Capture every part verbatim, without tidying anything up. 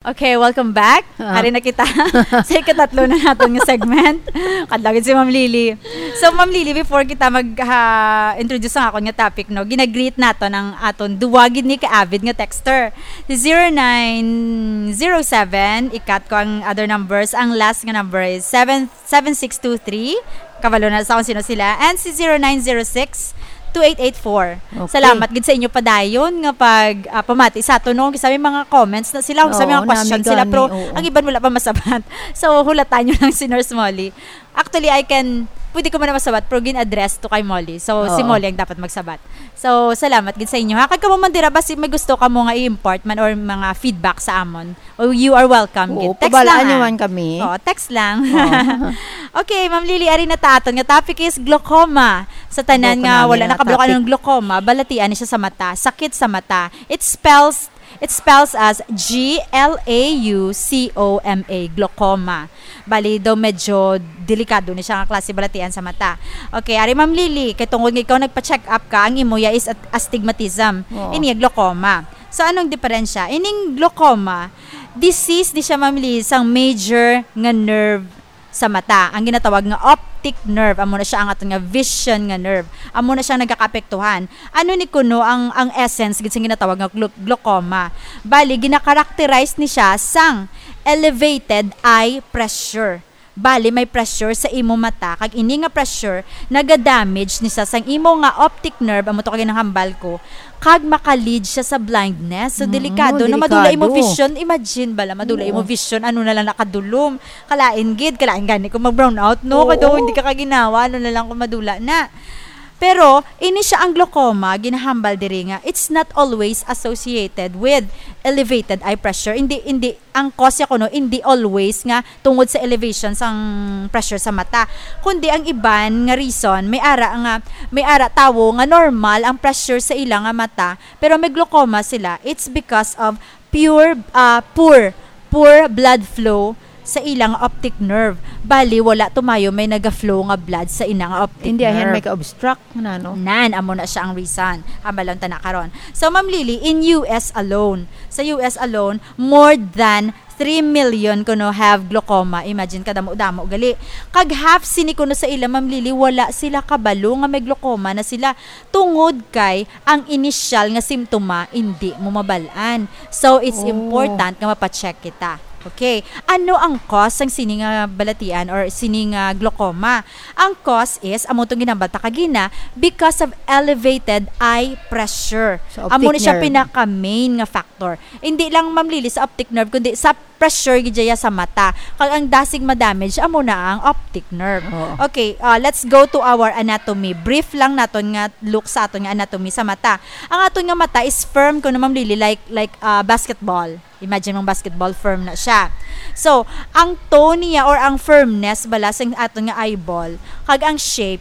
Okay, welcome back. Ah. Ari na kita sa ikatatlo na naton nga segment. Kadlawon si Ma'am Lily. So, Ma'am Lily, before kita mag, ha, introduce sa akon nga topic, no, ginagreet naton ang aton duwa gid ni ka-avid nga texter. Si zero nine zero seven, ikat ko ang other numbers. Ang last nga number is seven, seven six two three. Kabalo na sa kung sino sila. And si zero nine zero six two eight eight four. Okay. Salamat gid sa inyo padayon nga pag, ah, pamati sa aton, no? Kisa may mga comments na sila, kisa may mga Oo, question nami sila, gani, pero oo. ang iban wala pa masabat. So, hulatan nyo lang si Nurse Molly. Actually, I can, pwede ko man na masabat, pero gin-address to kay Molly. So, si Oo. Molly ang dapat magsabat. So, salamat gid sa inyo, ha? Kag kamo man dira, basi may gusto kamo nga i-impart man or mga feedback sa amon, oh, you are welcome. Oo, gid. Text pabalaan lang, nyo ah. man kami. Oo, text lang. Oo. Okay, Ma'am Lily, ari na ta aton nga topic is glaucoma. Sa tanan Glaucoma, nga wala may nakabalo natopic. Anong glaucoma, balatian ni siya sa mata, sakit sa mata. It spells, it spells as G L A U C O M A, glaucoma. Bali, daw medyo delikado ni siya nga klase balatian sa mata. Okay, ari Ma'am Lily, kay tungod nga ikaw nagpa-check up ka, ang imo ya is at-, astigmatism. Oo. Ini ya glaucoma. So, anong diferensya? Ining glaucoma, disease ni siya, Ma'am Lily, sang major nga nerve sa mata, ang ginatawag nga optic nerve. Amo na siya ang aton nga vision nga nerve. Amo na siya nagakaapektuhan. Ano ni kuno ang, ang essence gid sing ginatawag nga glau-, glaucoma? Bali, ginakarakterize ni siya sang elevated eye pressure. Bali, may pressure sa imo mata, kag ini nga pressure naga-damage ni sa sang imo nga optic nerve, amo to kag ginahambal ko, kag maka-lead siya sa blindness. So, Mm, delikado, no? Madula imo delikado. Vision, imagine bala, madula imo Oo. vision, ano na lang nakadulom. Kalain gid, kalain gani kung mag-brown out, no? Oo. Kay daw hindi ka kaginawa, ano na lang kung madula na. Pero, ini siya ang glaucoma, ginahambal diri nga, it's not always associated with elevated eye pressure. Hindi, hindi, ang cause ya kuno, hindi always nga tungod sa elevation sang pressure sa mata. Kundi ang iban nga reason, may ara nga, may ara tawo nga normal ang pressure sa ila nga mata, pero may glaucoma sila. It's because of pure, ah, poor, poor blood flow sa ilang optic nerve. Bali, wala tumayo may naga-flow nga blood sa ina nga optic Hindi, ayan, nerve. May ka-obstruct na, no? Nan, amo na siya ang reason. Hambalon ta na karon. So, Ma'am Lily, in U S alone, sa U S alone, more than three million kuno have glaucoma. Imagine, kadamo-damo gali. Kag half sini kuno sa ila, Ma'am Lily, wala sila kabalo nga may glaucoma na sila. Tungod kay ang inisyal nga simptoma indi mo mabal-an. So, it's Oh. important nga mapa-check kita. Okay. Ano ang cause sang sini nga balatian or sini nga glaucoma? Ang cause is, amo tong ginambal ta kagina, because of elevated eye pressure. Sa Amo optic ni siya nerve. Pinaka-main nga factor. Hindi lang, Ma'am Lily, sa optic nerve, kundi sa pressure gid dya sa mata. Kag ang dasig ma-damage, amo na ang optic nerve. Oo. Okay, uh, let's go to our anatomy. Brief lang naton nga look sa aton nga anatomy sa mata. Ang aton nga mata is firm kuno, Ma'am Lily, like, like, uh, basketball. Imagine mong basketball, firm na siya. So, ang tone niya or ang firmness bala sa aton nga eyeball, kag ang shape,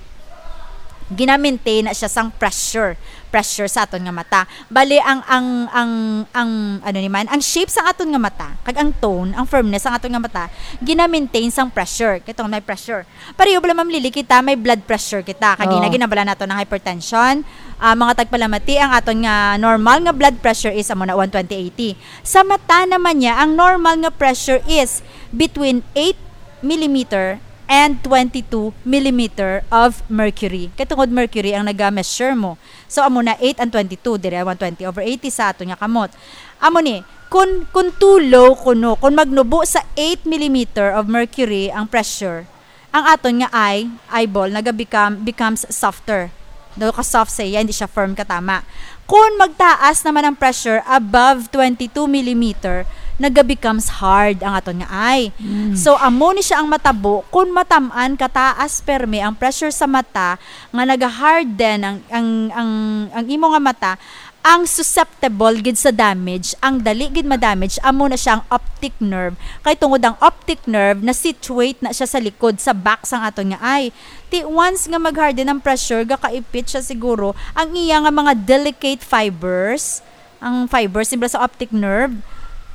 gina-maintain na siya sang pressure, pressure sa aton nga mata. Bali, ang, ang, ang, ang, ano ni man, ang shape sa aton nga mata, kag ang tone, ang firmness sa aton nga mata, gina-maintain sang pressure. Kay tungod may pressure. Pareho bala, Ma'am Lily, kita may blood pressure kita. Kag Oo. Ginabala nato ng hypertension. Ah, mga tagpalamati, ang aton nga normal nga blood pressure is amo na one twenty eighty. Sa mata naman niya, ang normal nga pressure is between eight millimeter and twenty-two millimeter of mercury. Kay tungod mercury ang naga-measure mo. So, amo na eight and twenty-two, dire one twenty over eighty sa aton nga kamot. Amo ni, kun, kun too low kuno, kun magnubo sa eight millimeter of mercury ang pressure, ang aton nga eye, eyeball, naga-become, becomes softer. Daw ka-soft sa iya, hindi siya firm katama. Kun magtaas naman ang pressure above twenty-two millimeter, naga-becomes hard ang aton nga eye. Mm. So, amo ni siya ang matabo kun matam-an kataas permi ang pressure sa mata nga naga-harden ang, ang, ang, ang imo nga mata, ang susceptible gid sa damage, ang dali gid ma-damage, amo na siya ang optic nerve. Kay tungod ang optic nerve, na-situate na siya sa likod, sa back sang aton nga eye. Ti once nga mag-harden ang pressure, gakaipit siya siguro ang iya nga mga delicate fibers, ang fibers, siyempre sa optic nerve,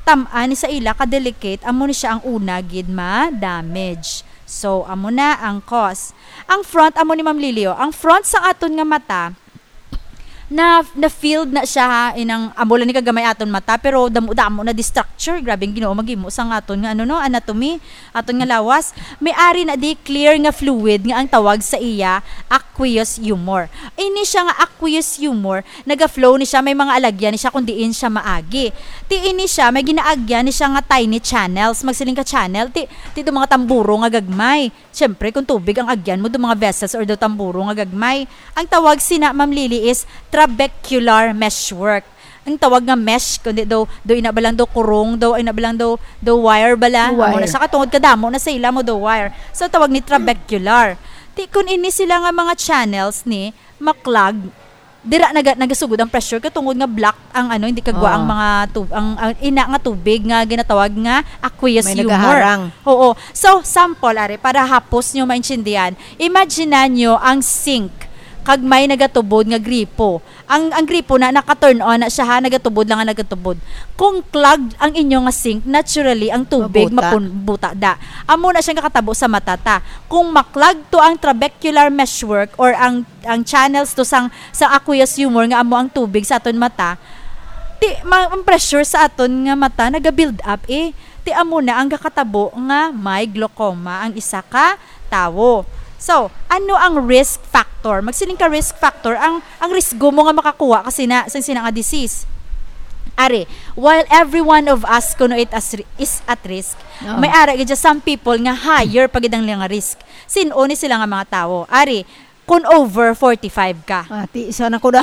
tam-an ni sa ila ka-delicate, amo ni siya ang una gid ma-damage. So, amo na ang cause. Ang front, amo ni Ma'am Lily, oh. Ang front sa aton nga mata, na, na-filled na siya, ha, inang amo lang ni kagamay aton mata, pero damo-damo na di structure. Grabe ang Ginoo maghimo sa nga aton nga, ano, no, anatomy, aton nga lawas. May ari na di clear nga fluid nga ang tawag sa iya aqueous humor. Ini siya nga aqueous humor, naga-flow ni siya, may mga alagyan ni siya kung diin siya maagi. Ti ini siya, may ginaagyan ni siya nga tiny channels. Magsiling ka channel, ti, ti do mga tamburo nga gagmay. Siyempre, kung tubig ang agyan mo, do mga vessels or do tamburo nga gagmay. Ang tawag sina, Ma'am Lily, is trabecular meshwork. Ang tawag nga mesh, kundi daw, daw ina ba lang daw kurong, daw ina ba lang daw, daw wire bala. Amo na Wire. Sa katungod kadamo na sa ila mo daw wire. So, tawag ni trabecular. Ti, kung ini sila nga mga channels ni, ma-clog, dira naga-, nagasugod ang pressure katungod nga block ang ano, hindi kagwa ang Ah. mga tub-, ang, ang ina nga tubig nga ginatawag nga aqueous May humor. Nagaharang. Oo. So, sample, are, para hapos nyo maintindihan, imagine nyo ang sink kag may nagatubod nga gripo. Ang, ang gripo na naka-turn on na siya, ha, nagatubod lang nga nagatubod. Kung clogged ang inyo nga sink, naturally ang tubig Mabuta. mapun-, buta da. Amo na siya nga katabo sa mata ta. Kung ma-clog to ang trabecular meshwork or ang, ang channels to sang, sa aqueous humor nga amo ang tubig sa aton mata, ti, ma-, ang pressure sa aton nga mata naga-build up, eh. Ti amo na ang gakatabo nga may glaucoma ang isa ka tawo. So, ano ang risk factor? Magsiling ka risk factor, ang, ang risgo mo nga makakuha ka sina, sa sina nga disease. Are, while every one of us kuno it as ri-, is at risk, Oo. may ara gid siya some people nga higher pa gid ang nga risk. Sin-o ni sila nga mga tawo? Are, kung over forty-five ka. Ah, ti, isa na ko na.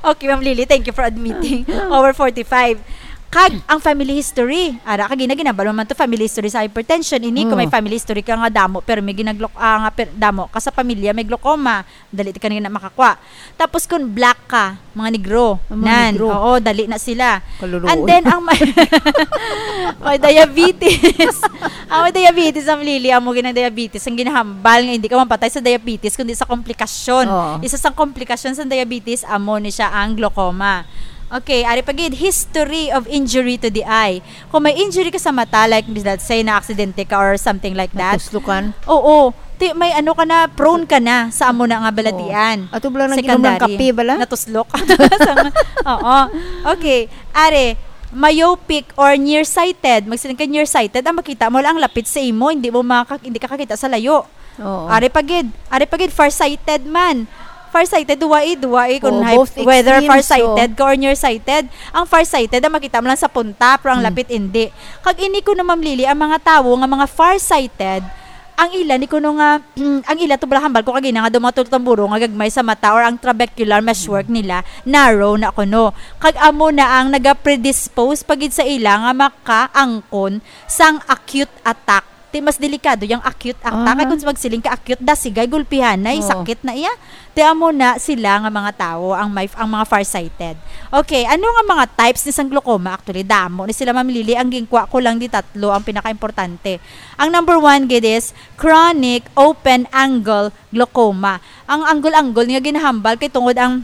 Okay, Ma'am Lily, thank you for admitting. Over forty-five. Kag ang family history. Ara, kag gina-, ginabalo man to family history sa hypertension. Ini, kung may Oo. family history ka nga damo, pero may ginaglok-, ah, nga per-, damo ka sa pamilya, may glaucoma, dali ka na makakuha. Tapos kung black ka, mga negro, Ang mga nan, negro. oo, dali na sila. Kaluluoy. And then, ang may, may diabetes. Ang may diabetes, ang Lily, amo ginang diabetes, ang ginahambal nga hindi ka mapatay sa diabetes, kundi sa komplikasyon. Oo. Isa sa komplikasyon sa diabetes, amo ni siya ang glaucoma. Okay, ari pa gid, history of injury to the eye. Kung may injury ka sa mata, like, let's say, na-aksidente ka or something like that. Natuslokan? Oo. Ti, may ano ka na, prone ka na sa amo na nga balatian. Oo. Ato bala nang ginom ng Secondary. kape bala? Natuslok. Sa-, oo. Okay. Are, myopic or nearsighted. Magsiling ka nearsighted, ang makita mo lang ang lapit sa imo, hindi mo makak-, hindi ka kakita sa layo. Oo. Ari pa gid, ari pa gid, farsighted man. Farsighted, duwa eh, duwa eh, kung Oo, high, both whether extremes, farsighted so ka or nearsighted. Ang farsighted, ang makita mo lang sa punta, pero ang Hmm. lapit, hindi. Kag ini ko na, Ma'am Lily, ang mga tawo nga mga farsighted, ang ila ni kuno nga, ang ila to bala hambal ko kagina nga daw mga tutamburo nga gagmay sa mata or ang trabecular meshwork Hmm. nila, narrow na kuno. Kag amo na ang naga-predispose pa gid sa ila nga makaangkon sang acute attack. Ti mas delikado yung acute attack. Kay Aha. kung magsiling ka acute, dasigay, gulpihanay, Oo. sakit na iya. Ti amo na sila nga mga tawo, ang may, ang mga farsighted. Okay, ano nga mga types ni sang glaucoma? Actually, damo ni sila, Ma'am Lily. Ang ginkuha ko lang di tatlo, ang pinakaimportante. Ang number one gid is chronic open angle glaucoma. Ang angle-angle nga ginahambal kay tungod ang,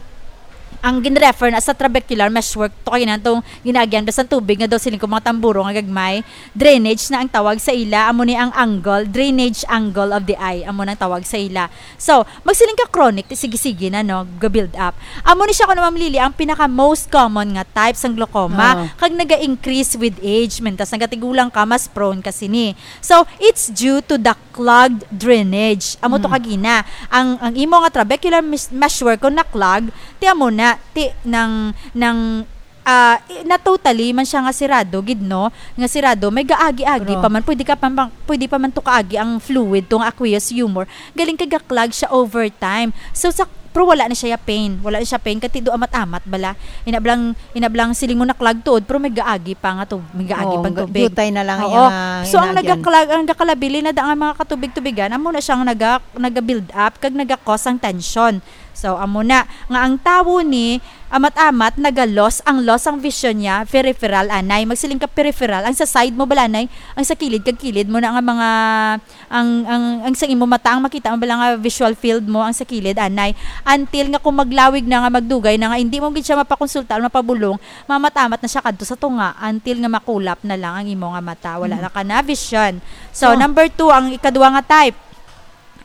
ang ginrefer na sa trabecular meshwork to kay nang tong ginaagyan basta tubig nga daw siling ko mga tamburo nga gagmay. Drainage na ang tawag sa ila, amo ni ang angle, drainage angle of the eye, amo nang tawag sa ila. So, magsiling ka chronic, ti sige-sige na, no, ga-build up. Amo ni siya, kuno, Ma'am Lily, ang pinaka most common nga type sang glaucoma, Oo. kag naga-increase with age, mentas nagatigulang ka, mas prone ka sini. So, it's due to the clogged drainage. Amo to Mm. kagina. Ang, ang imo nga trabecular mes-, meshwork kung na-clog, ti amo na, ti, nang, nang, ah, i-, na totally man siya nga sirado gid, no? Nga sirado, may gaagi-agi Pero pa man. Pwede ka pa man, pwede pa man to kaagi ang fluid, to nga aqueous humor. Galing kay ga-clog siya over time. So, sa, pero wala na siya ya pain. Wala na siya pain. Kati do amat-amat bala. Inablang, inablang siling mo na-clog tuod, pero may gaagi pa nga to. May gaagi Oo, pang ga-, tubig. jutay na lang Oo. yung, ah, So, ang inagyan. nagaklag-, ang gakalabili na da nga mga katubig-tubigan, amo na siyang naga-, naga-build up, kag naga-cause ang tension. So, amo na, nga ang tawo ni, amat-amat, naga-loss, ang loss ang vision niya, peripheral, anay. Magsiling ka peripheral, ang sa side mo, balanay, ang sa kilid, kag kilid mo na nga mga, ang, ang, ang sa imo mata, ang makita mo bala nga visual field mo, ang sa kilid, anay. Until nga kung maglawig na nga, magdugay na nga, hindi mo gid siya mapakonsulta o mapabulong, mamat-amat na siya kadto sa tunga, until nga makulap na lang ang imo nga mata. Wala Mm. na ka na vision. So, So, number two, ang ikadwa nga type,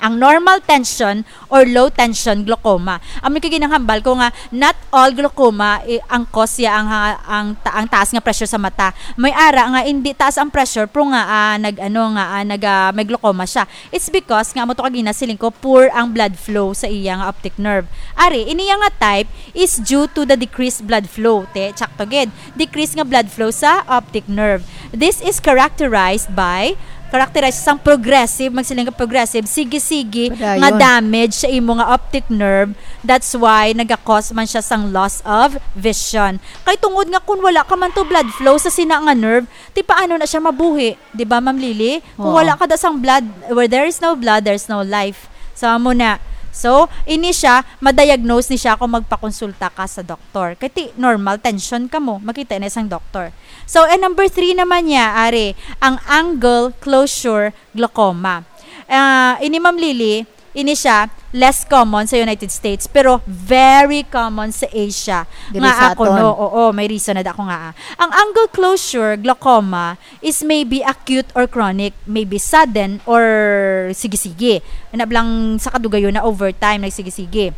ang normal tension or low tension glaucoma. Amo kay ginahambal ko nga not all glaucoma, eh, ang cause ya ang, ang, ta- ang taas nga pressure sa mata. May ara nga hindi taas ang pressure pero nga, ah, nag ano nga, ah, nag ah, may glaucoma siya. It's because nga amo to kagina siling ko poor ang blood flow sa iya nga optic nerve. Ari, ini nga type is due to the decreased blood flow. Te, tsakto gid. Decrease nga blood flow sa optic nerve. This is characterized by, characterized sang progressive, magsiling ka progressive, sige-sige nga Padayon. damage sa imo nga optic nerve. That's why nagakos man siya sang loss of vision. Kay tungod nga kung wala ka man to blood flow sa sina nga nerve, ti paano na siya mabuhi? Di ba, Ma'am Lily? Kung Oo. wala ka da sang blood, where there is no blood, there's no life. So, amo na. So, ini siya, ma-diagnose ni siya kung magpakonsulta ka sa doktor. Kay ti normal tension ka mo, makita na sang doktor. So, and number three naman niya, ari, ang angle closure glaucoma. Ah, ini, Ma'am Lily, ini siya, less common sa United States, pero very common sa Asia. Diri Nga sa ako, aton. no? Oo, may reason na da ko nga, ah. Ang angle closure glaucoma is maybe acute or chronic, maybe sudden or sige-sige. Nablang sa kadugayon na over time, nagsige-sige.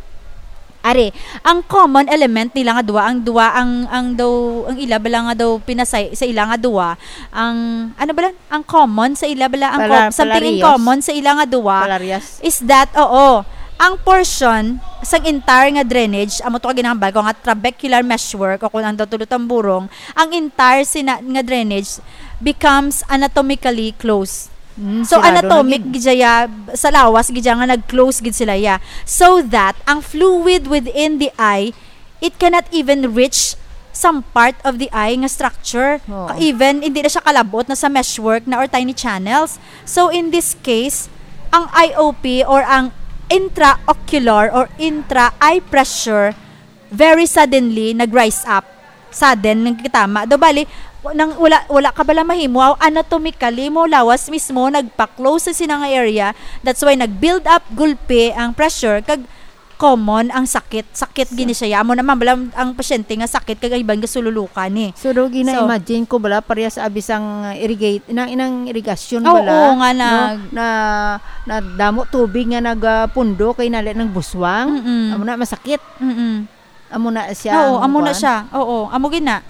Are, ang common element nila nga duwa, ang duwa, ang, ang daw, ang ila bala nga daw pinasay sa ila nga duwa, ang, ano bala? Ang common sa ila bala, ang Pala- com- something in palareas. common sa ila nga duwa Palareas. is that, oo, ang portion sang entire nga drainage, amo to ka ginahambal ko nga trabecular meshwork o kung ang daw tulo tamburong, ang entire sina- nga drainage becomes anatomically closed. Mm, So, sirado na anatomic gid. gid siya, sa lawas gid siya nga nag-close gid sila, ya. So that ang fluid within the eye, it cannot even reach some part of the eye nga structure. Oo. Ka- Even, hindi na siya kalabot na sa meshwork na or tiny channels. So, in this case, ang I O P or ang intraocular or intra-eye pressure very suddenly nag-rise up. Sudden, nagkitama. Daw bali, nang wala, wala ka bala mahimo, anatomically mo, lawas mismo, nagpa-close sa sina nga area. That's why nag-build up gulpi ang pressure, kag common ang sakit. Sakit gini siya. Amo naman, bala ang, ang pasyente nga sakit, kag iban nga sululukan ni. So, daw So, gina-imagine ko bala, parehas abi sang irrigate, inang, inang irigasyon Oo, bala, nga no? nag- Na, na damo tubig nga nagapundo kay nali ng buswang. Mm-mm. Amo na, masakit. Mm-mm. Amo na siya Oo, ang amo na kuwan. siya. Oo, amo gina.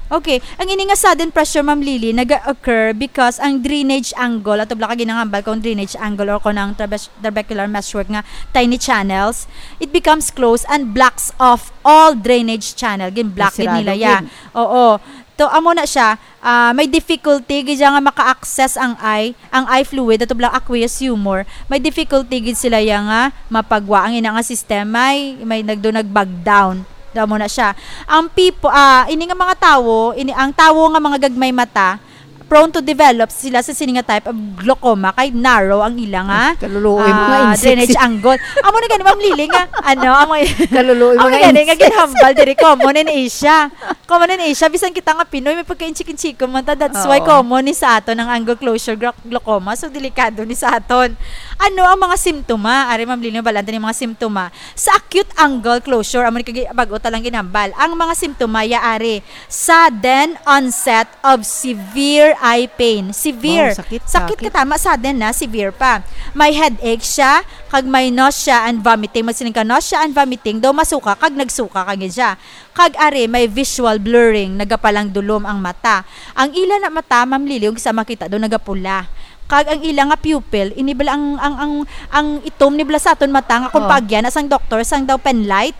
Okay, ang ini nga sudden pressure, Ma'am Lily, naga-occur because ang drainage angle, ato bala ka ginahambal kung drainage angle or kung ang trabe- trabecular meshwork nga tiny channels, it becomes closed and blocks off all drainage channel. Gin-block gid Sirado nila ya. gid. Oo. To, amo na siya. Ah, may difficulty gid siya nga maka-access ang eye, ang eye fluid, ato bala aqueous humor. May difficulty gid sila ya nga mapagwa ang ina nga sistema, may, may nagdo nag-bog down. Daw mo na siya. Ang people, ah, ini nga mga tawo, ini ang tawo nga mga gagmay mata, prone to develop sila sa sini nga type of glaucoma kay narrow ang ila nga, Kaluluoy, mga ah, insects. drainage angle. Amo na gani, Ma'am Lily, nga, ano, amo, Kaluluoy, amo mga na gani, nga insects. ginhambal diri, common in Asia. Common in Asia, bisan kita nga Pinoy, may pagka-inchik-inchik man ta. That's why Oo. common ni sa aton ang angle closure glau-, glaucoma. So, delikado ni sa aton. Ano ang mga simptoma? Ari, Ma'am Lily, balanta ni mga simptoma. Sa acute angle closure, amo ni kagi-, bago ta lang ginhambal. Ang mga simptoma, ya ari, sudden onset of severe eye pain. Severe. Wow, sakit, Sakit sakit. ka tama, sudden na, severe pa. May headache siya, kag may nausea and vomiting. Magsiling ka, nausea and vomiting. Daw masuka, kag nagsuka ka gid siya. Kag ari, may visual blurring, nagapalang dulom ang mata. Ang ila na mata, Ma'am Lily, ug sa makita daw nagapula. Kag ang ila nga pupil, ini bala ang, ang, ang, ang itom ni bala sa aton mata nga kung Oh. paagyan na sang doktor, sang daw penlight,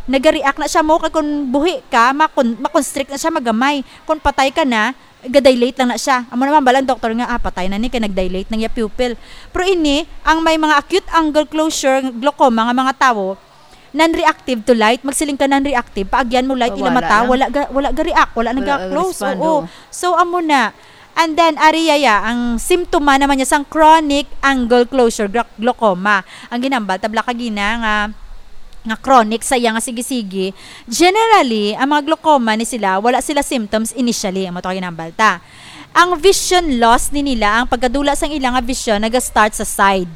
nagareact na siya mo, kag kung buhi ka, makon-, makonstrict na siya magamay. Kung patay ka na, gadilate lang na siya. Amo naman bala ang doktor nga, "Ah, patay na ni, kay nagdilate nang iya pupil." Pero ini, ang may mga acute angle closure glaucoma nga mga tawo, non-reactive to light, magsiling ka non-reactive, paagyan mo light, ila Wala mata, lang. wala ga-, wala ga-react, wala Wala nag-close. respond, Oo. oh. So, amo na. And then, ari ya, ang simptoma naman niya sang chronic angle closure glau-, glaucoma. Ang ginambal, tabla kagina nga, nga chronic sa iya nga sige-sige. Generally, ang mga glaucoma ni sila, wala sila symptoms initially, ang matuwa ginambal ta. Ang vision loss ni nila, ang pagkadula sang ila nga vision, naga-start sa side.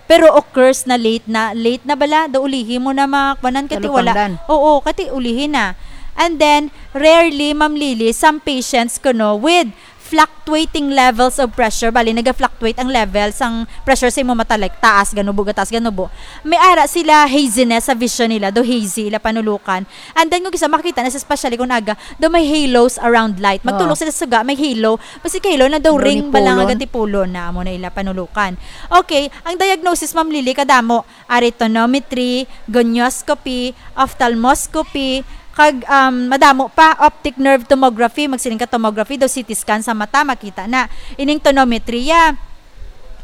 Pero occurs na late na, late na bala, do ulihi mo na makwanan kati wala. Talupangdan. Oo, kati ulihi na. And then, rarely, Ma'am Lily, some patients kuno with fluctuating levels of pressure, bali naga-fluctuate ang level sang pressure sa imo mata, like taas ganubo, gataas ganubo, may ara sila haziness sa vision nila, do hazy ila panulukan. And then kung isa makita na sa, especially kung aga, do may halos around light. Magtulog Oo. sila sa suga, may halo. Basi ka halo na daw Daw ring bala nga nipulon. gatipulon na amo na ila panulukan. Okay, ang diagnosis, Ma'am Lily, kadamo. Ari tonometry, gonioscopy, ophthalmoscopy, kag, um, madamo pa, optic nerve tomography, magsiling ka tomography, daw C T scan sa mata, makita na. Ining tonometry, ya,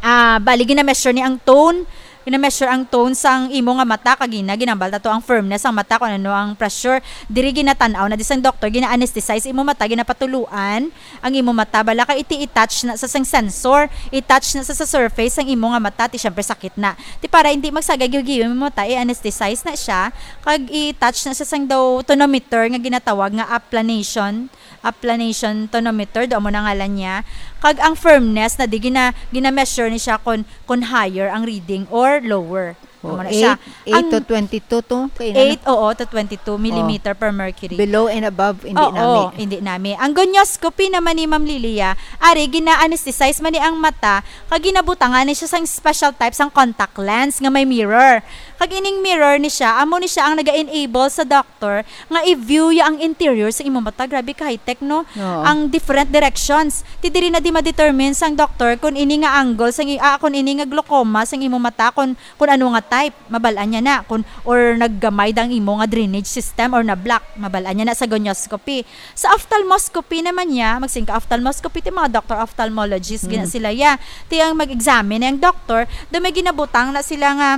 ah, bali, gina-measure ni ang tone, gina-measure ang tone sang imo nga mata, kag gina, ginambal ta to ang firmness sang mata, kung ano ang pressure. Diri ginatan-aw na di sang doktor, gina-anesthetize imo mata, ginapatuluan, ang imo mata, bala kay iti i-touch na sa sang sensor, i-touch na sa, sa surface sang imo nga mata, ti syempre sakit na. Ti para hindi magsagay giyo-giyo imo mata, i-anesthetize na siya, kag i-touch na sa sang daw tonometer nga ginatawag nga aplanation, aplanation tonometer, do amo na ngalan niya. Kag ang firmness na di gina, gina-measure ni siya kon, kon higher ang reading or lower. Oh, Amo na siya. eight, eight to Ang twenty-two to, kay na- eight, oo, to twenty-two millimeter per mercury. Below and above, hindi Oo, nami. hindi nami. Ang gonioscopy naman ni Ma'am Lilia, ari, gina-anesthetize man ni ang mata, kag ginabutangan ni siya sang special type sang contact lens nga may mirror. Kag ining mirror ni siya, amo ni siya ang naga-enable sa doctor nga i-view ya ang interior sa imo mata. Grabe ka high-tech, no? Oo. Ang different directions. Ti diri na di ma-determine sang doctor kung ini nga angle, sang i-, ah, kung ini nga glaucoma sang imo mata, kung, kung ano nga type. Mabal-an niya na kung, or naggamay da ang imo nga drainage system or na-block. Mabal-an niya na sa gonioscopy. Sa ophthalmoscopy naman niya, magsiling ka ophthalmoscopy, ti mga doctor ophthalmologist, gina Mm. sila ya. Ti ang mag-examine ang doctor, do may ginabutang na sila nga,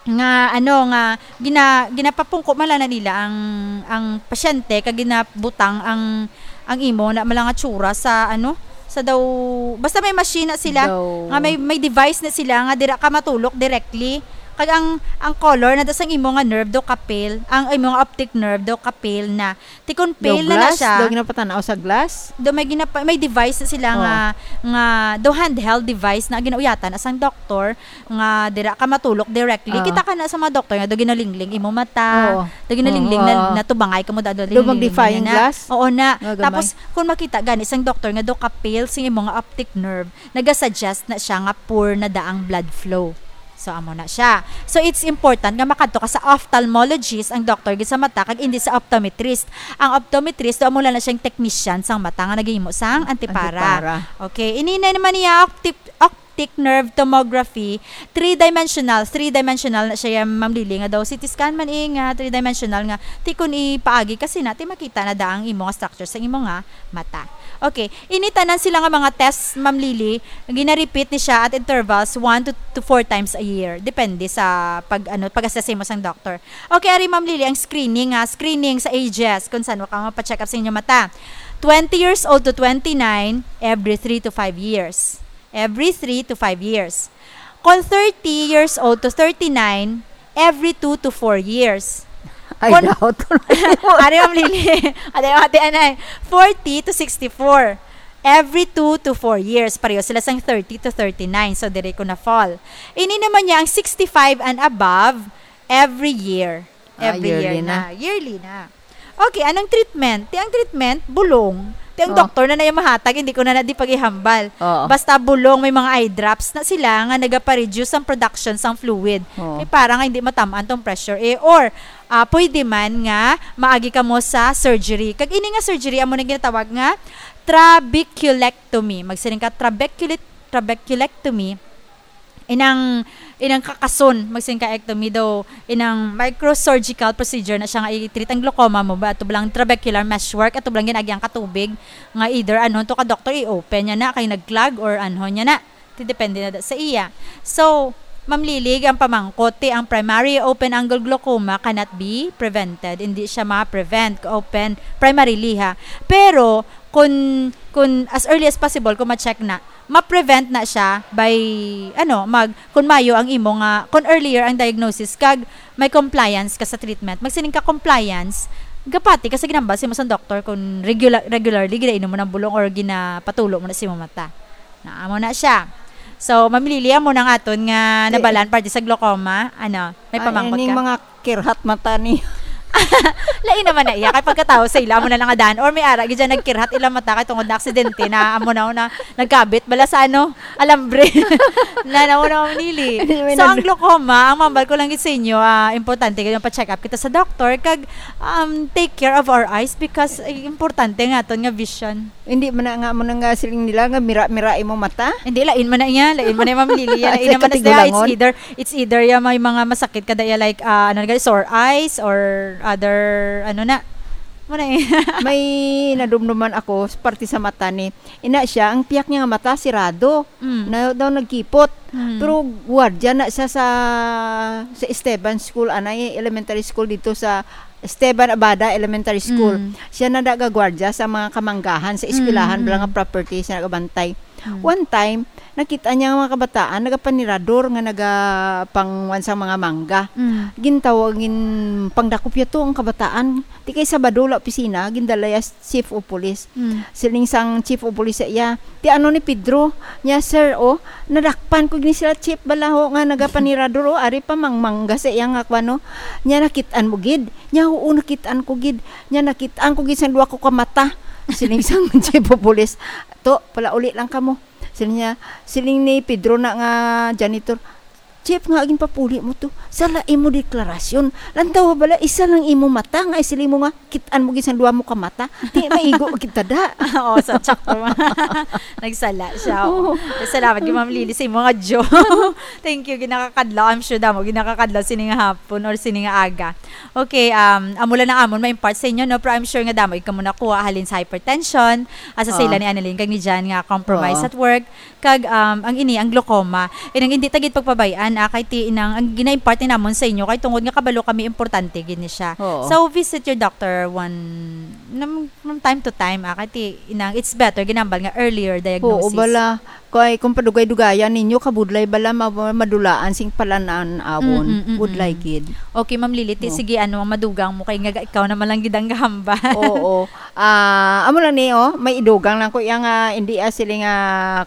nga, ano, nga gina-, ginapapungko man lang na nila ang, ang pasyente, kag ginabutang ang, ang imo na mala nga tsura sa, ano, sa daw, basta may machine na sila, Daw. nga may, may device na sila nga dira ka matulok directly. Kag ang, ang color na da sang imo nga nerve do ka pale, ang imo nga optic nerve do ka pale na. Ti kon Daw pale na na glass? siya, Daw ginapatanaw sa glass? Do may ginapa-, may device na sila Oh. nga, nga do handheld device na ginauyatan na sang doktor nga dira ka matulok directly. Ah. Kita ka na sa mga doktor nga do ginalingling imo mata, Oo. do ginalingling Oo, na, oo. natubangay ka mo, da, do Do linglingling magnifying niya na. glass? Oo na. Nga gamay. Tapos, kung makita gani sang doktor nga do ka pale sing imo nga optic nerve, nagasuggest na siya nga poor na daang blood flow. So, amo na siya. So, it's important nga makadto ka sa ophthalmologist, ang doctor gid sa mata, kag hindi sa optometrist. Ang optometrist, do amo lang na siyang technician sang mata nga naghimo sang antipara. Antipara. Okay, ini na naman niya, opti-, optic nerve tomography, three-dimensional, three-dimensional na siya, Ma'am Lily, nga daw C T scan man, eh, nga three-dimensional nga, ti kun ipaagi kasi na, ti makita na da ang imo nga structure sa imo nga mata. Okay, ini tanan sila nga mga tests, Ma'am Lily, gina-repeat ni siya at intervals one to, to four times a year. Depende sa pag, ano, pag-assess mo sang doctor. Okay, ari, Ma'am Lily, ang screening, ha, screening sa ages, kung saan ka mapacheck up sa inyong mata. Twenty years old to twenty-nine, every three to five years. Every three to five years. Kung thirty years old to thirty-nine, every two to four years. Ay, Kon-, daw to. Ari, Ma'am Lily. Ate, ate, anay. Forty to sixty-four. Every two to four years. Pareho sila sang thirty to thirty-nine. So, diri ko na-fall. Ini naman niya ang sixty-five and above, every year. Ah, Every year yearly na. na. Yearly na. Okay, anong treatment? Ti ang treatment, bulong. Ti ang Oh. doktor na na yung mahatag, hindi ko na na di pag-ihambal. Oo. Basta bulong, may mga eye drops na sila nga nagapareduce ang production sang fluid. Oo. Kay para nga hindi matamaan tong pressure, eh. Or, ah, pwede man nga maagi ka mo sa surgery. Kag ini nga surgery, amo na ginatawag nga trabeculectomy. Magsiring ka, trabeculit-, trabeculectomy. Inang, inang kakason, magsiring ka, ectomy daw, inang microsurgical procedure na siya nga i-treat ang glaucoma mo ba, ato lang trabecular meshwork, ato lang ginaagi ang katubig, nga either ano to ka doktor, i-open niya na, kay nag-clog or ano niya na. Ti depende na da sa iya. So, Ma'am Lily, ang pamangkot, ti ang primary open angle glaucoma cannot be prevented. Hindi siya ma-prevent, open primarily ha. Pero, kun, kun as early as possible, kung ma-check na, ma-prevent na siya by, ano, mag, kung mayo ang imo nga, kung earlier ang diagnosis, kag may compliance ka sa treatment. Magsining ka compliance, gapati ka sa ginambal sa imo sang doktor kung regular, regularly ginainom mo ng bulong or ginapatulo mo na sa imo mata. Na, amo na siya. So, Ma'am Lily, amo na ang aton nga Ti-, nabalaan parte sa glaucoma. Ano, may Ah, pamangkot ining ka? mga kirhat mata ni Lain naman na iya. Kay pagkatawo sa ila, amo na lang nga daan. Or may ara, gid dyan nagkirhat ilang mata kay tungod na aksidente na, amo na, na, nagkabit bala sa ano, alambre. Na, na, na, Ma'am Lily. Hindi, may So, ang nag- glaucoma, ang mambal ko lang gid sa inyo, ah, importante gid yung pa-check up kita sa doktor, kag, um, take care of our eyes because, eh, importante nga aton nga vision. Hindi man na nga mo nang, ah, siling nila nga mira-mira imong mata? Hindi, lain man na iya. Lain man na iya, Ma'am Lily. Yan, lain Sa naman na siya. It's katigulangon? either, it's either ya may mga masakit ka daya, like, ah, ano na, sore eyes or other, ano na. Mo na iya. May nadumduman ako sa parte sa mata ni. Ina siya, ang piyak niya nga mata, sirado. Mm. Na daw nagkipot. Mm. Pero gwardiya na siya sa, sa Esteban School, anay elementary school dito sa Esteban Abada Elementary School. Mm. Siya na nagagwardya sa mga kamanggahan sa eskwelahan, Mm, bala nga mm. property siya nagabantay. Mm. One time, nakita niya ang mga kabataan nagapanirador nga nagapangwan sa mga mangga. Mm. Gintawag, gin-, pangdakop niya to ang kabataan. Di kay Sabado la opisina, gindala ya chief of police. Mm. Siling sang chief of police sa iya, "Ti ano ni Pedro?" Niya, "Sir, oh, nadakpan ko gini sila, chief, bala ho nga nagapanirador, oh, ari pa mangmangga sa iya nga kwan, oh." Niya, "Nakit-an mo gid?" Niya, "Oo, nakit-an ko gid." Niya, "Nakit-an ko gid sang duha ko ka mata." Siling sang chief of police, "To, palauli lang kamo." Siling niya, siling ni Pedro na nga janitor, "Chief, nga ginpapuli mo to? Sala imo deklarasyon. Lantaw bala, isa lang imo mata nga isiling mo nga kit-an mo gid sang duha mo ka mata. Di maigo kita da." Oo, sa tsak to. Nagsala siya, oh. Oo. Salamat kay Ma'am Lily sa imo nga joke. Thank you, ginakakadlaw. I'm sure damo ginakakadlaw sini nga hapon or sini nga aga. Okay, um, amo lang ang amon ma-impart sa inyo, no? Pero I'm sure nga damo gid kamo nakuha halin sa hypertension, asa sa ila ni Annalyn kag ni Jan nga compromise Oo. at work. Kag, um, ang ini, ang glaucoma. Inang hindi ta gid pagpabay-an, ah, kay ti inang ang gina-impart ni namon sa inyo, kay tungod nga kabalo kami, importante gid ni siya. Oo. So, visit your doctor one, nam-, from time to time, ah, kay ti inang it's better, ginambal nga earlier diagnosis. Oo, bala. Kay kung padugay-dugayan ninyo, kabudlay bala, ma-, madulaan sing palanan-awon. Mm, mm, mm, Budlay mm. gid. Okay, Ma'am Lily, ti, No. sige, ano, ang madugang mo, kay nga ikaw naman lang gid ang gahambal. Oo. Ah, amo lang ni, oh, may idugang lang ko iya nga, hindi, ah, sila nga,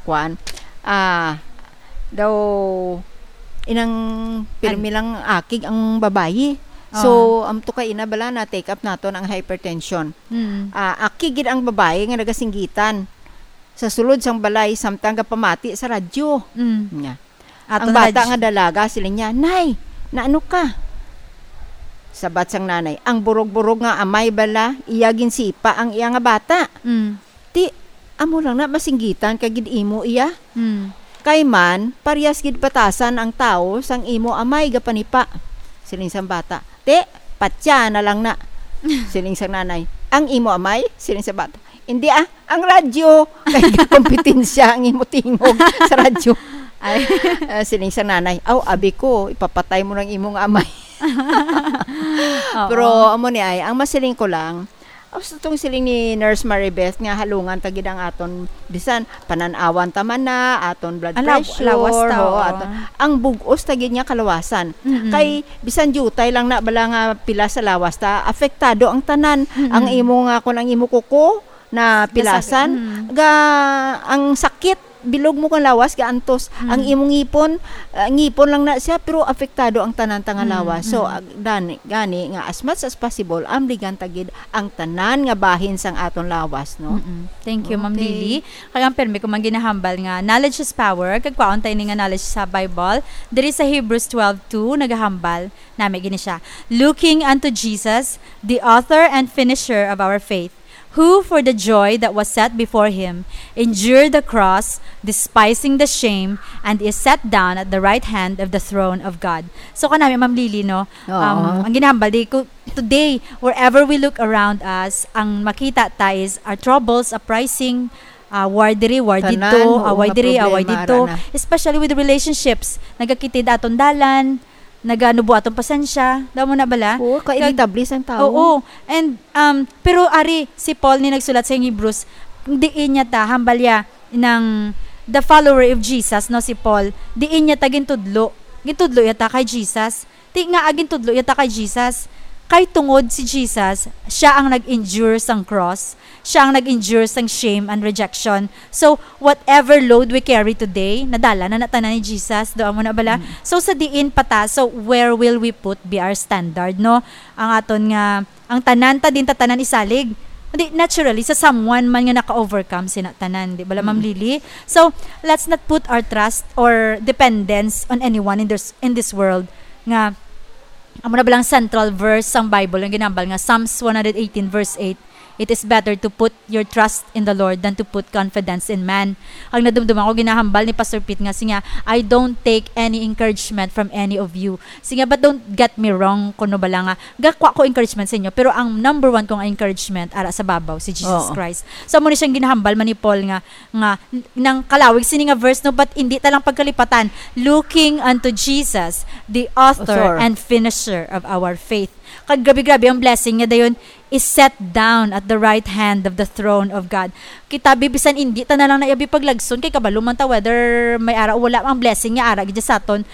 kwan, ah, daw, inang pirmi An- lang akig ang babayi. So, Oh. ang tukay ina bala na take up naton ang hypertension. Mm. Ah, akig gid ang babayi nga nagasinggitan sa sulod sang balay samtang gapamati sa radyo. Mm. Nga. Aton Ang bata radyo. nga dalaga, siling niya, "Nay, naano ka?" Sabat sang nanay, "Ang burog-burog nga amay bala, iya ginsipa ang iya nga bata." Mm. "Ti, amo lang na masinggitan ka gid imo iya. Mm. Kay man, parehas gid batasan ang tawo sang imo amay gapanipa." Siling sang bata, "Ti, patya na lang na." Siling sang nanay, "Ang imo amay?" Siling sa bata, "Hindi ah, ang radyo." Kay kompetensya ang imo tingog sa radyo. Ay. Ah, siling sa nanay, "Aw, abi ko, ipapatay mo ng imong amay." Oo. Pero amo ni ay, ang masiling ko lang, gusto tong siling ni Nurse Maribeth nga halungan ta gid ang aton bisan panan-awan ta man na, aton blood Ala, pressure, lawas ta, oo, oo. aton, ang bug-os ta gid nga kalawasan. Mm-mm. Kay bisan diutay lang na bala nga pila sa lawas ta, apektado ang tanan. Mm-mm. Ang imo nga, kung ang imo kuko na Nasakit. pilasan, Mm. ga, ang sakit, bilog mo kang lawas, gaantos. Mm. Ang imong ngipon, ah, ngipon lang na siya, pero apektado ang tanan ta nga Mm, lawas. So, mm. ag-, dani, gani nga as much as possible, amligan ta gid ang tanan nga bahin sang aton lawas, no? Mm-mm. Thank you, Ma'am Okay. Lily. Kaya ang permi ko man ginahambal nga, knowledge is power. Kag kwaon tayo ni nga knowledge sa Bible. Diri sa Hebrews twelve two, nagahambal, nami gini siya. "Looking unto Jesus, the author and finisher of our faith, who for the joy that was set before him endured the cross, despising the shame, and is set down at the right hand of the throne of God." So, kanami, Ma'am Lily, no? Oo. Um, ang ginahambal, di ko, today, wherever we look around us, ang makita ta is our troubles, uprising, ah, war diri, war Tanan, dito, oo, away nga diri, away problema, dito. ara na. Especially with relationships. Nagakitid aton dalan, naganubo aton pasensya. Damo na bala? Oo, Kag-, kainitable sang tawo. Oo. And, um, pero ari, si Paul ni nagsulat sa Hebrews, diin niya ta, hambal ya, nang the follower of Jesus, no, si Paul, diin niya ta gintudlo. Gintudlo ya ta kay Jesus. Ti nga, ah, gintudlo ya ta kay Jesus. Kay tungod si Jesus, siya ang nag-endure sang cross, siya ang nag-endure sang shame and rejection. So, whatever load we carry today, nadala na na tanan ni Jesus, do amo na bala? Mm. So, sa diin pa ta, so where will we put be our standard, no? Ang aton nga, ang tanan ta din ta tanan isalig. Hindi, naturally, sa someone man nga naka-overcome sina tanan, di bala, Ma'am Mm. Lily? So, let's not put our trust or dependence on anyone in this, in this world nga, amo na balang central verse sang Bible, ang ginambal nga Psalms one hundred eighteen verse eight, "It is better to put your trust in the Lord than to put confidence in man." Ang nadumduman ko, ginahambal ni Pastor Pete nga, siya, "I don't take any encouragement from any of you." Siya, but don't get me wrong, kuno bala nga, gakwa ko encouragement sa inyo, pero ang number one kong encouragement, ara sa babaw, si Jesus Oo. Christ. So, amo ni siyang ginahambal man ni Paul nga, nga nang kalawig sini nga verse, no, but hindi ta lang pagkalipatan, "Looking unto Jesus, the author Author. and finisher of our faith." Kag grabe-grabe ang blessing nga dayon is set down at the right hand of the throne of God. Kita, bi, bisan hindi ta na lang naiyabi paglagson, kay kabalo man ta whether may ara o wala ang blessing nga ara gid sa aton.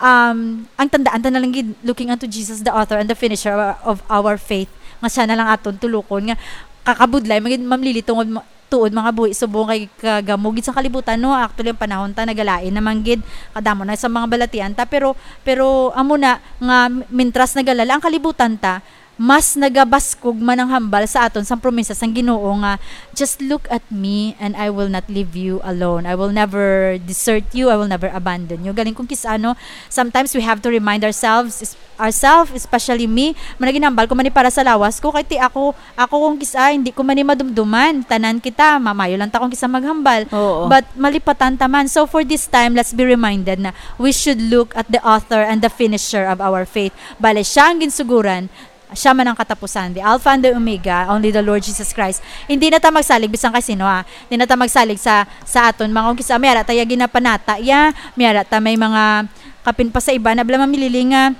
Um, ang tandaan ta na lang gid, looking unto Jesus, the author and the finisher of, of our faith, nga siya na lang aton tulokon, nga kakabudlay man gid, Ma'am Lily, tungod ma-, tuod mga buhi subong kay kagamo gid sa kalibutan, no? Actually, ang panahon ta nagalain naman gid, kadamo na sa mga balatian ta, pero, pero amo na nga, mintras nagalala ang kalibutan ta, mas nagabaskog man ang hambal sa aton sang promesa sang Ginoo nga, "Just look at me and I will not leave you alone. I will never desert you, I will never abandon you." Galing kung kis-, ano, sometimes we have to remind ourselves, ourselves, especially me, man ginambal ko man ni para sa lawas ko, kay ti ako, ako kung kis-a, hindi ko man ni madumduman. Tanan kita, mamayo lang ta kung kis-a maghambal. Oo. But malipatan ta man. So for this time, let's be reminded na we should look at the author and the finisher of our faith. Bale, siya ang ginsuguran, siya man ang katapusan, the Alpha and the Omega, only the Lord Jesus Christ. Hindi na ta magsalig bisan kay sino, ha. Hindi na ta magsalig sa, sa aton mga, kung kis-a, may ara ta ya ginapanata ya, may ara ta may mga kapin pa sa iba na bala mamilili nga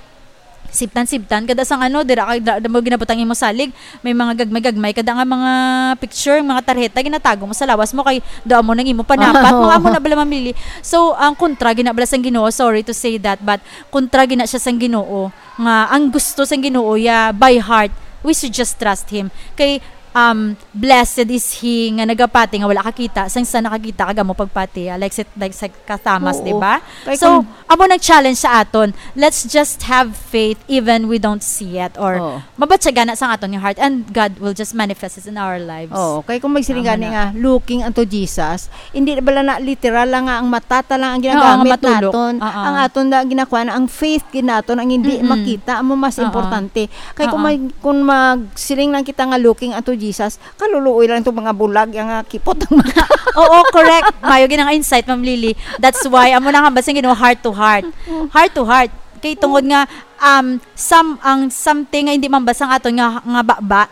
sibtan-sibtan, kada sang ano, dira ka, da, da mo ginabutang imo salig, may mga gagmay-gagmay, kada nga mga picture, mga tarheta, ginatago mo sa lawas mo, kay daan mo nang imo panapat, Oo. mga amo na bala mamili. So, ang kontra gina bala sang Ginoo, sorry to say that, but kontra gina siya sang Ginoo, nga ang gusto sang Ginoo, ya, by heart, we should just trust Him. Kay, um, "Blessed is he nga nagapati nga wala kakita, sang sa nakakita kag amo pagpati," ah, like si, like sa ka Thomas, Oo. di ba? Kay So, kung amo nang challenge sa aton. Let's just have faith even we don't see it, or Oo. mabatyagan na sa aton nga heart, and God will just manifest it in our lives. Oo, kay kung magsiling Tama gani na. nga, "Looking unto Jesus," hindi na bala na literal lang nga ang mata ta lang ang Oo, nga ginagamit matulog. naton. Oo. Ang aton na ginakuha na ang faith gid naton, ang hindi Mm-mm. makita, amo mas Oo. importante. Kay kung Oo. mag-, kung magsiling lang kita nga, "Looking unto Jesus," kaluluoy lang itong mga bulag, yang, ah, kipot ang mga Oo, correct. Mayo gid ang insight, Ma'am Lily. That's why, amo nang hambal sang Ginoo, heart to heart. Mm. Heart to heart. Kay tungod Mm. nga, um, some, ang something nga hindi mahambal sang aton nga, nga baba,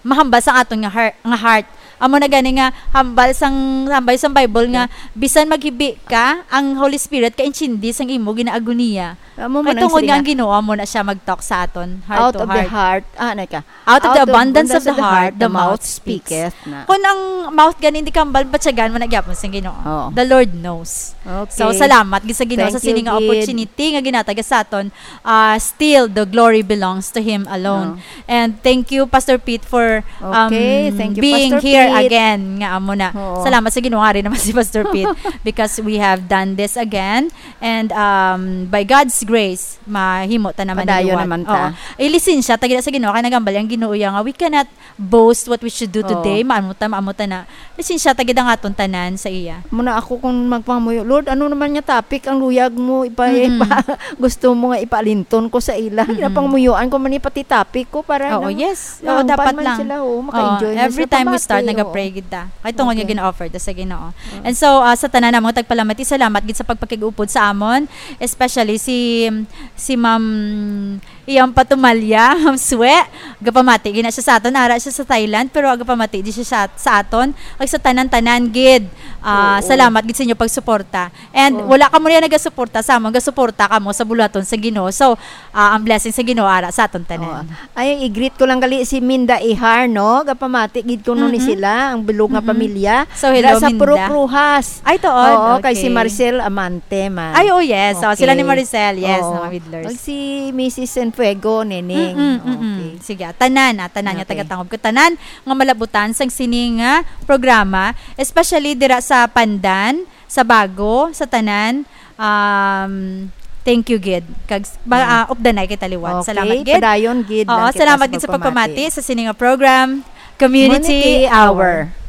mahambal sang aton nga heart, nga heart. Amo na gani nga hambal sang, hambal sang Bible nga, Okay. bisan maghibi ka, ang Holy Spirit kaintindi sang imo ginaagoniya. Amo Kay man ang tungod siling nga nga ang Ginoo, amo na siya mag-talk sa aton, heart Out to of the heart. heart. Ah, ano ka? Out of the Out of abundance of the heart, the mouth speaketh na. Kung ang mouth gani hindi kambal, batyagan mo na gyapon sa Ginoo. Oo. The Lord knows. Okay. So, salamat gid sa Ginoo Thank sa you, sining nga gid. opportunity nga ginatag sa aton. Ah, still, the glory belongs to Him alone. Oo. And thank you, Pastor Pete, for, um, Okay, thank you, being Pastor here Pete. again. Nga amo na. Oo. Salamat sa Ginoo, ari naman si Pastor Pete, because we have done this again. And, um, by God's grace, mahimo ta naman Padayon liwat. naman ta. Oo. Ilisensya ta gid sa Ginoo, kay nagambal ang Ginoo ya nga we cannot boast what we should do Oo. today. Maamo ta, maamo ta na. Lisensya ta gid ang aton tanan sa iya. Muna ako kung magpangamuyo, "Lord, ano naman nga topic ang luyag mo ipa-, Mm-mm. ipa-, gusto mo nga ipaalinton ko sa ila?" Mm-mm. Ginapangamuyuan ko man ni pati topic ko para Oo, nang yes. Oo, naumpan dapat man lang. sila, oo, Oo, maka-enjoy man every sila time we start, pamati, oo. nagapray gid ta. Kay tungod nga Okay. gina-offer ta sa Ginoo. Oo. And so, ah, sa tanan namong tagpalamati, salamat gid sa pagpakig-upod sa amon, especially si, si Ma'am Iyang Patumalya, Ma'am Swe. Gapamati gina siya sa aton, ara siya sa Thailand, pero gapamati di siya sa, sa aton. Kag sa tanan-tanan gid, ah, Oo. salamat gid sa inyo pagsuporta. And Oo. wala kamo niya nagasuporta sa amon, gasuporta kamo sa buluhaton sa Ginoo. So, ah, ang blessing sa Ginoo ara sa aton tanan. Oo. Ay, i-greet ko lang gali si Minda Ihar, no? Gapamati gid ko no ni Mm-mm. sila. Minda, ang bilog nga Mm-mm. pamilya. So, hello, Dira sa Minda. Purok Rojas. Ay, tuod. Oo, kay si Okay. Marcel Amante man. Ay, oh yes. Oh, sila ni Okay. Maricel. Yes, Oo. mga Widlers. Kag si Missus Sanfuego, Neneng. Mm-mm, mm-mm. Okay. Sige, tanan, ah, tanan nga Okay. taga-Tangub ko. Tanan nga malabutan sang sini nga programa, especially dira sa Pandan, sa Bago, sa tanan. Um, thank you gid. Kag s- ba, Ah. ah, updanay kita liwat. Okay, Salamat gid. padayon gid Oo, lang kita salamat sa gid sa pagpamati. pagpamati sa sini nga program, Community Community Hour. Hour.